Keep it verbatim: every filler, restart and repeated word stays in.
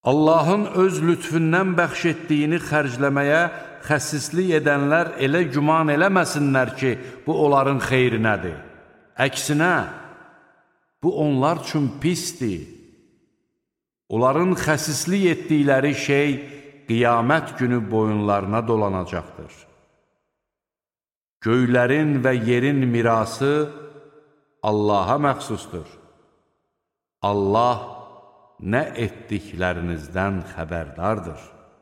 Allahın öz lütfündən bəxş etdiyini xərcləməyə xəsislik edənlər elə güman eləməsinlər ki, bu onların xeyrinədir. Əksinə, bu onlar üçün pisdir. Onların xəsislik etdikləri şey qiyamət günü boyunlarına dolanacaqdır. Göylərin və yerin mirası Allaha məxsusdur. Allah nə etdiklərinizdən xəbərdardır.